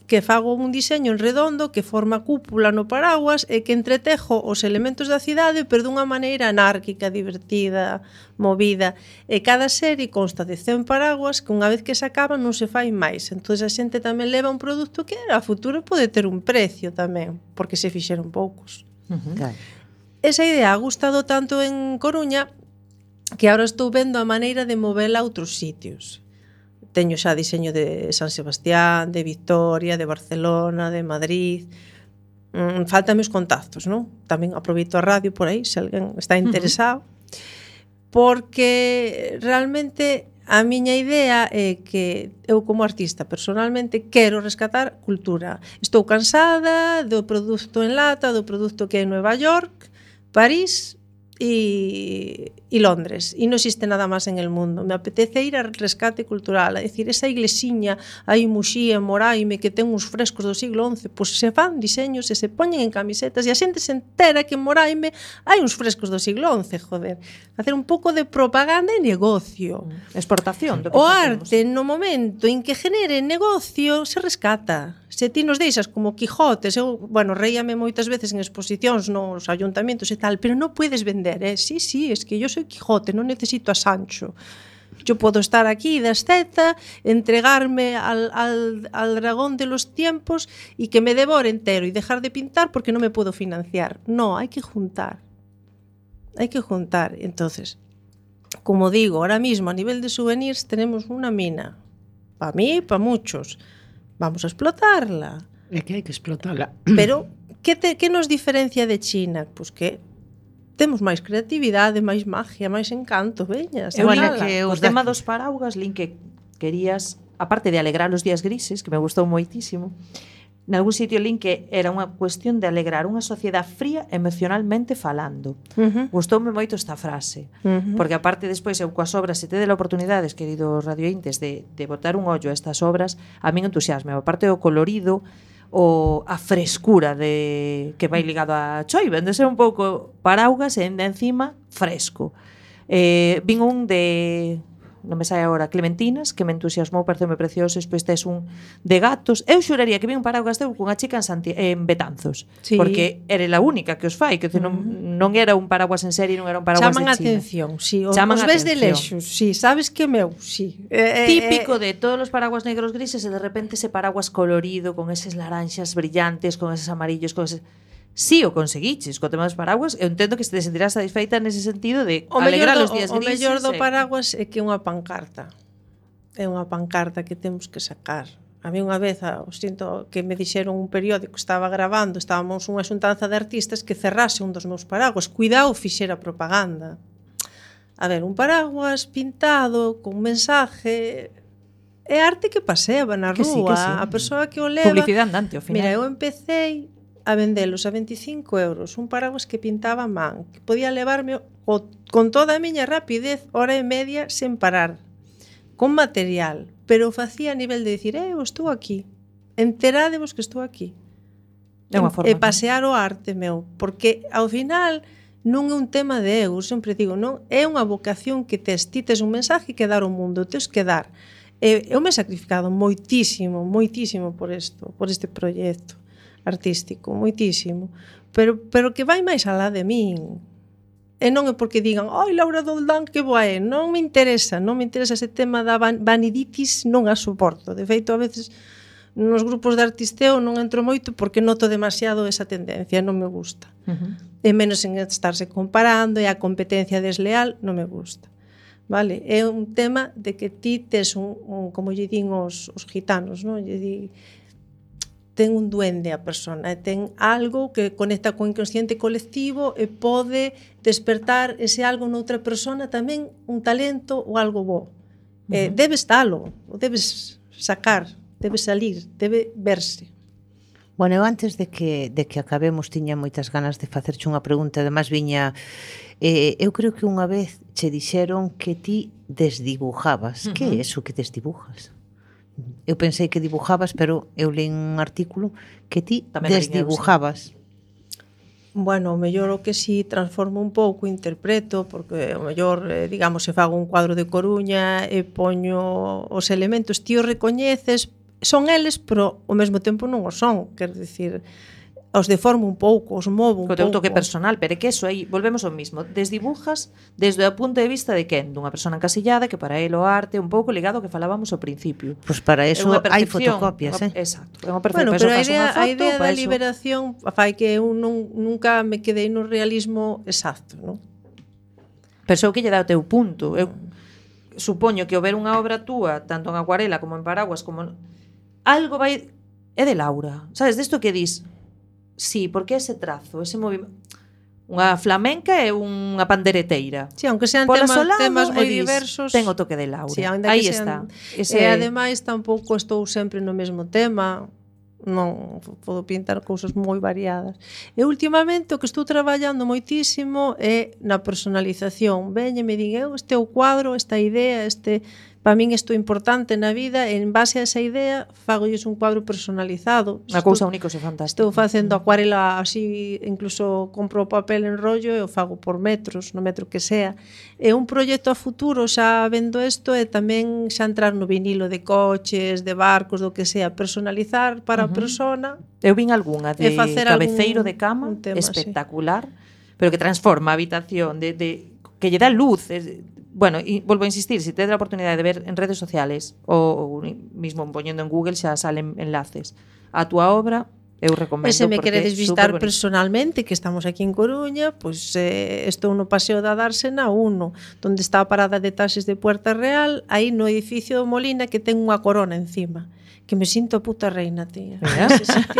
que fago un diseño en redondo que forma cúpula no paraguas e que entretejo os elementos da cidade pero dunha maneira anárquica, divertida, movida. E cada serie consta de 100 paraguas que unha vez que se acaban non se fai máis. Entón a xente tamén leva un produto que a futuro pode ter un precio tamén, porque se fixeron poucos. Claro. Esa idea ha gustado tanto en Coruña que ahora estou vendo a maneira de movela a outros sitios. Teño xa diseño de San Sebastián, de Vitoria, de Barcelona, de Madrid. Faltan os contactos, non? Tamén aproveito a radio por aí, se alguén está interesado. Porque realmente a miña idea é que eu como artista personalmente quero rescatar cultura. Estou cansada do produto en lata, do produto que é Nueva York, París e Londres, e non existe nada máis en el mundo. Me apetece ir al rescate cultural, a decir, esa iglesiña aí Muxía, en Moraime, que ten uns frescos do siglo XI, pois se fan diseños e se poñen en camisetas e a xente se entera que en Moraime hai uns frescos do siglo XI, joder. Hacer un pouco de propaganda e negocio. Exportación. O arte, no momento en que genere negocio, se rescata. Se ti nos deixas como Quijotes, eu, bueno, reíame moitas veces en exposicións nos ayuntamientos e tal, pero non puedes vender, Sí, es que yo soy Quijote, non necesito a Sancho. Yo puedo estar aquí de asceta, entregarme al dragón de los tiempos y que me devore entero y dejar de pintar porque no me puedo financiar. No, hay que juntar. Hay que juntar. Entonces, como digo, ahora mismo a nivel de souvenirs tenemos una mina. Para mí, para muchos. Vamos a explotarla. É que hai que explotarla. Pero, ¿qué nos diferencia de China? Pues que temos máis creatividade, máis magia, máis encanto, veña, Bueno, Bueno, que o os tema da- dos paraugas, Lin, que querías, aparte de alegrar os días grises, que me gustou moitísimo, nalgún sitio Lin que era unha cuestión de alegrar unha sociedade fría emocionalmente falando. Gustoume moito esta frase, porque aparte despois eu coas obras, se tedes a oportunidades, queridos radiointes, de botar un ollo a estas obras, a min entusiasme, aparte do colorido, a frescura que vai ligado a choiva, de ser un pouco paraugas e encima fresco. Vin un de, non me sai agora, Clementinas, que me entusiasmou, pareceume precioso, despois tes un de gatos. Eu xuraría que vi un paraugas teu cunha chica en Betanzos, Sí. porque era a única que os fai, que non era un paraguas en serie, non era un paraguas Chaman a de China. atención, sí, os Chaman a ves de atención. lexos, sí, sabes que meu, sí. Típico de todos los paraguas negros grises e de repente ese paraguas colorido con eses laranxas brillantes, con eses amarillos, con eses... Sí, o conseguiches co tema dos paraguas. Eu entendo que te sentirás satisfeita nese sentido de alegrar os días O grises. mellor do paraguas é que é unha pancarta. É unha pancarta que temos que sacar. A mí unha vez, sinto que me dixeron un periódico, estaba grabando, estábamos unha xuntanza de artistas que cerrase un dos meus paraguas. Cuidado, fixera propaganda. A ver, un paraguas pintado, con mensaje... É arte que paseaba na Que sí, rúa. que sí. A persoa que o leva... Publicidade andante, ao final. Mira, eu empecé a vendelos a 25 euros, un paraguas que pintaba a man, que podía levarme con toda a miña rapidez, hora e media, sen parar, con material, pero o facía a nivel de dicir, eu estou aquí, enterádevos que estou aquí. É unha forma, E pasear o arte, meu, porque ao final non é un tema de eu, sempre digo, non, é unha vocación que tes, ti tes un mensaje que dar ao mundo, tes que dar. Eu me he sacrificado moitísimo, moitísimo por este proxecto artístico, moitísimo, pero que vai máis alá de min. E non é porque digan, ai, Laura Doldán, que boa é, non me interesa ese tema da vaniditis, non a soporto. De feito, a veces nos grupos de artisteo non entro moito porque noto demasiado esa tendencia, non me gusta. E menos en estarse comparando e a competencia desleal, non me gusta. Vale, é un tema de que ti tes como lle din os gitanos, non? Lle di, ten un duende a persona, ten algo que conecta co inconsciente colectivo e pode despertar ese algo noutra persona tamén un talento ou algo bo. Debes dalo, o debes sacar, debe salir, debe verse. Bueno, eu antes de que acabemos tiña moitas ganas de facerche unha pregunta, además viña eu creo que unha vez che dixeron que ti desdibujabas. Que é eso que desdibujas? Eu pensei que dibujabas, pero eu leí un artículo que ti Tamén desdibujabas. Bueno, o mellor o que si transformo un pouco, interpreto, porque o mellor, digamos, se fago un cuadro de Coruña e poño os elementos, ti os recoñeces, son eles, pero ao mesmo tempo non o son, quero dicir, os deformo un pouco, os movo un Co teu pouco. toque personal, pero é que eso aí, volvemos ao mismo, desdibujas desde o punto de vista de quen? Dunha persona encasillada que para el o arte un pouco ligado ao que falábamos ao principio. Pois para eso É unha hai percepción, fotocopias, Exacto, é unha percepción, Bueno, para pero eso fas unha a foto, idea para da eso- liberación fai que eu nunca me quedei no realismo exacto, non? Pensou que lle dá o teu punto. Eu supoño que ao ver unha obra túa, tanto en acuarela como en paraguas, como algo vai é de Laura. Sabes, desto que dis? Sí, porque ese trazo, ese movimento, unha flamenca e unha pandereteira. Sí, aunque sean Pola solado, temas moi e dis, diversos. ten o toque de Laura. Sí, ainda aí que está. sean, E ademais tampouco estou sempre no mesmo tema. Non podo pintar cousas moi variadas. E últimamente o que estou traballando moitísimo é na personalización. Veñe, me din, este é o cuadro, esta idea, para min isto é importante na vida, e en base a esa idea fagolles un cuadro personalizado. Unha cousa única e fantástica. Estou facendo acuarela así, incluso compro o papel en rollo e o fago por metros, no metro que sea. É un proxecto a futuro, xa vendo isto, e tamén xa entrar no vinilo de coches, de barcos, do que sea, personalizar para a persona. Eu vin algunha de E facer cabeceiro algún- de cama un tema, espectacular, pero que transforma a habitación que lle dá luz. Bueno, e volvo a insistir, se tedes a oportunidade de ver en redes sociales ou mismo poñendo en Google xa salen enlaces a túa obra, eu recomendo. E se me porque queredes é visitar superbonito. personalmente, que estamos aquí en Coruña, pois estou no Paseo da Dársena 1, donde está a parada de taxis de Puerta Real, aí no edificio do Molina, que ten unha corona encima, que me sinto a puta reina, tía. Mira. Nese sitio.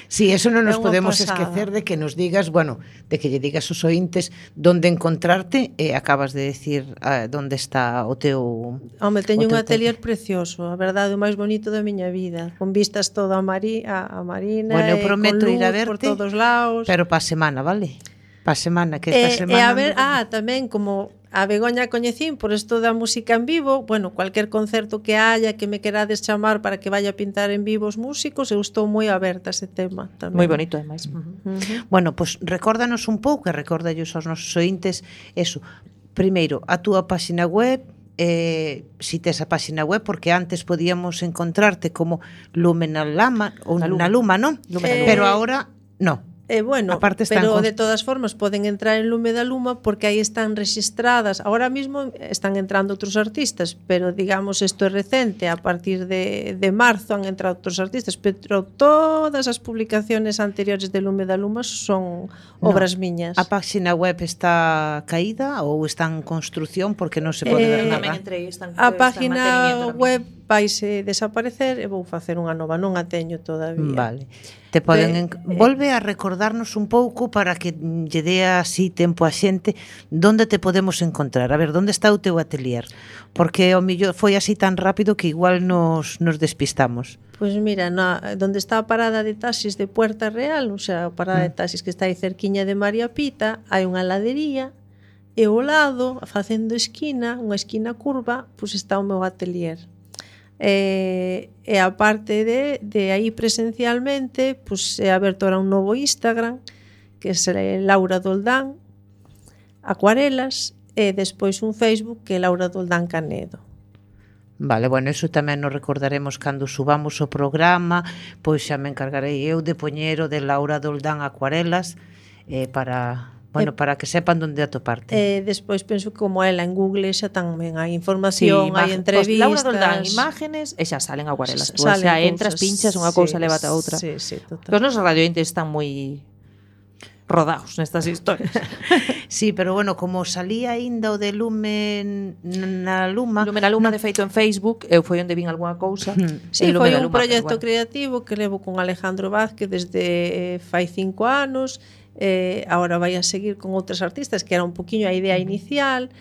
Sí, eso non nos É unha podemos pasada. esquecer de que nos digas, bueno, de que lle digas aos ointes onde encontrarte e acabas de decir onde está o teu Home, teño o un teu atelier precioso, a verdade, o máis bonito da miña vida, con vistas todo a Marina, Bueno, eu e prometo con luz ir a por verte, todos lados. pero pa semana, vale? Pa semana, que esta E semana... a ver, tamén como a Begoña coñecín por isto da música en vivo, bueno, cualquier concerto que haya que me querades chamar para que vaya a pintar en vivo os músicos, eu estou moi aberta a ese tema tamén. Moi bonito, ademais. Bueno, pois recórdanos un pouco, e recórdallos aos nosos ointes, eso, primeiro, a túa páxina web, si tes a páxina web, porque antes podíamos encontrarte como Lumena Lama, ou Na na Luma. Luma, non? Lumena Luma. Pero ahora, no. Bueno, Aparte están pero cons- de todas formas poden entrar en Lume da Luma porque aí están rexistradas. Ahora mismo están entrando outros artistas, pero digamos isto é recente, a partir de marzo han entrado outros artistas, pero todas as publicaciones anteriores de Lume da Luma son obras miñas. A páxina web está caída ou está en construción porque non se pode ver Tamén nada. entre están A está en página mantenimiento web vaise desaparecer e vou facer unha nova, non a teño todavía. Vale. Te poden volve a recordarnos un pouco para que lle dea así tempo a xente onde te podemos encontrar. A ver, onde está o teu atelier? Porque o millor foi así tan rápido que igual nos despistamos. Pois mira, donde está a parada de taxis de Puerta Real, o sea, a parada de taxis que está aí cerquiña de María Pita, hai unha heladería e ao lado, facendo esquina, unha esquina curva, pois está o meu atelier. E a parte de aí presencialmente, pois é aberto ahora un novo Instagram, que é Laura Doldán Acuarelas, e despois un Facebook que é Laura Doldán Canedo. Vale, bueno, eso tamén nos recordaremos cando subamos o programa, pois xa me encargarei eu de poñer o de Laura Doldán Acuarelas para que sepan onde atoparte. Despois penso que como ela en Google xa tamén hai información, hai entrevistas. Laura Doldán, imágenes e xa salen acuarelas. Tú Salen xa entras, cousas, pinchas unha cousa, lévate a outra. Sí, total. Que os nosos radiointes están moi rodados nestas historias. Sí, pero bueno, como salía aínda o de Lumen na Luma... Lumena Luma, de feito, en Facebook, eu foi onde vin algunha cousa. Sí, en foi Lumena un Luma, proxecto pero bueno. creativo que levo con Alejandro Vázquez desde fai 5 anos. Ahora vai a seguir con outros artistas, que era un poquinho a idea inicial.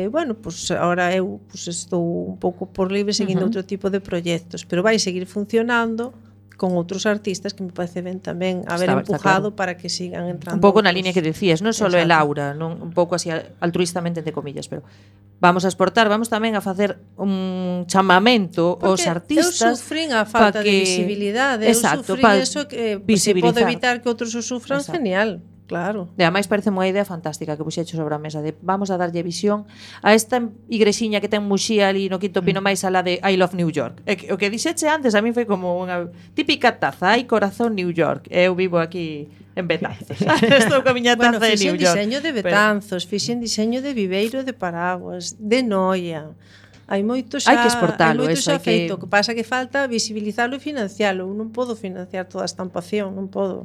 Bueno, pues ahora eu estou un pouco por libre seguindo outro tipo de proxectos, pero vai seguir funcionando con outros artistas que me parece ben tamén haber Está empujado claro. para que sigan entrando Un pouco na outros. línea que decías, non só é Exacto. Laura, non un pouco así altruistamente entre comillas, pero vamos a exportar, vamos tamén a facer un chamamento aos Porque artistas. eu sufrín a falta pa que... de visibilidade, Exacto, eu pa sufrín eso que se visibilizar. pode evitar que outros o sufran, Exacto. genial. Claro. E ademais parece unha idea fantástica que puxecho sobre a mesa de vamos a darlle visión a esta igrexiña que ten Muxía ali no Quinto Pino máis alá de I Love New York. E o que dixeche antes a mí foi como unha típica taza, hai corazón New York. Eu vivo aquí en Betanzos. Estou coa miña taza de fixen New York. diseño de Betanzos, fixen diseño de Viveiro de Paraguas, de Noia. Hai moito xa, Hai que exportalo, hai moito eso, xa hai que- feito, que pasa que falta visibilizalo e financialo. Eu non podo financiar toda a estampación, non podo.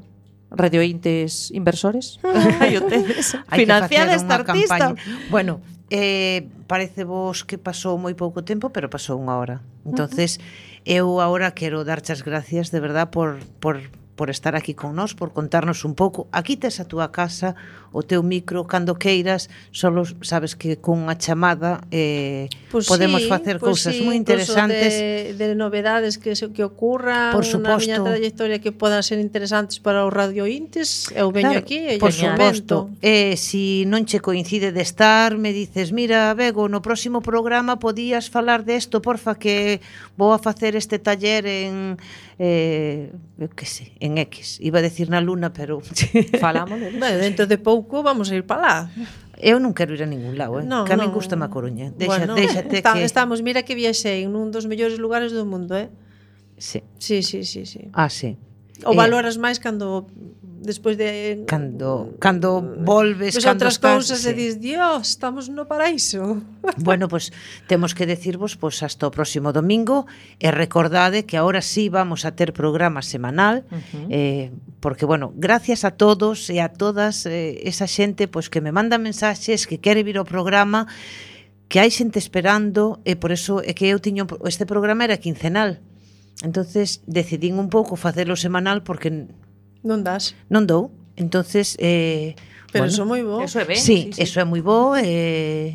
Radiointes inversores. Hai o tedes. Hai que Financiar facer esta unha artista. campaña. Bueno, parece vos que pasou moi pouco tempo, pero pasou unha hora. Entonces, eu agora quero darche as gracias de verdad por estar aquí con nós, por contarnos un pouco. Aquí tes a túa casa, o teu micro, cando queiras, solo sabes que con unha chamada podemos facer cousas moi interesantes. De novedades que ocurran Por na miña suposto. trayectoria que podan ser interesantes para os radiointes. Eu veño Claro, aquí e por lle suposto. comento. Si non che coincide de estar, me dices, mira, Bego, no próximo programa podías falar desto, porfa, que vou a facer este taller en eu que sei, en X. Iba a decir na Luna, pero Falamos de Bueno, dentro de pouco vamos a ir para lá. eu non quero ir a ningún lado, No, que a min no. gusta a Coruña. Bueno, Déxate que... estamos, mira que viaxei en un dos mellores lugares do mundo, Sí. Sí. Ah, sí. O valoras máis cando despois de Cando volves, pues cando outras estás, cousas e dis, Dios, estamos no paraíso. Bueno, pues temos que decirvos pues hasta o próximo domingo e recordade que ahora sí vamos a ter programa semanal porque, bueno, gracias a todos e a todas esa xente pues que me manda mensaxes, que quere vir ao programa, que hai xente esperando e por eso é que eu tiño este programa era quincenal. Entonces decidín un pouco facelo semanal porque Non das. non dou. Entonces Pero bueno, eso moi bo. Eso é ben. sí, eso é moi bo,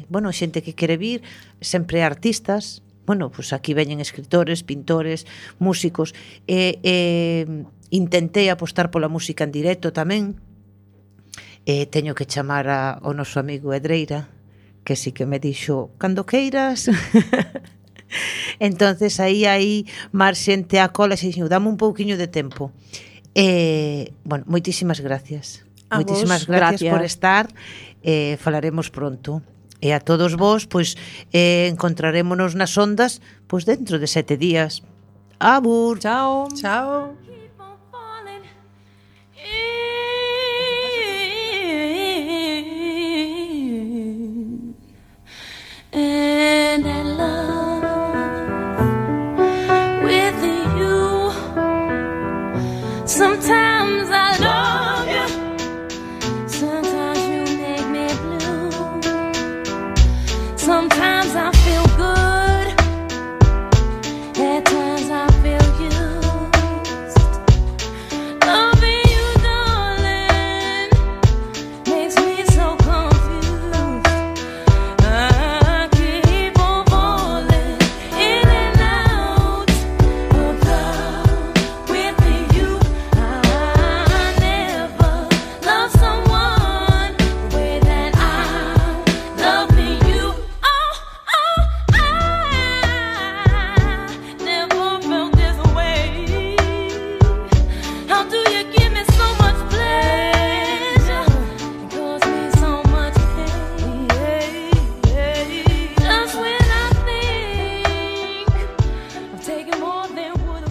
bueno, xente que quere vir, sempre artistas, bueno, pues aquí veñen escritores, pintores, músicos, intentei apostar pola música en directo tamén, teño que chamar ao noso amigo Edreira, que sí que me dixo, cando queiras. Entonces aí hai máis xente a cola, e dixo, dame un pouquiño de tempo. Bueno, moitísimas gracias. A Moitísimas vos, gracias por gracias. estar. Falaremos pronto. E a todos vos, pois, encontrarémonos nas ondas pois dentro de 7 días. Abur. Chao. Chao. Keep on falling in. And I love with you. Sometimes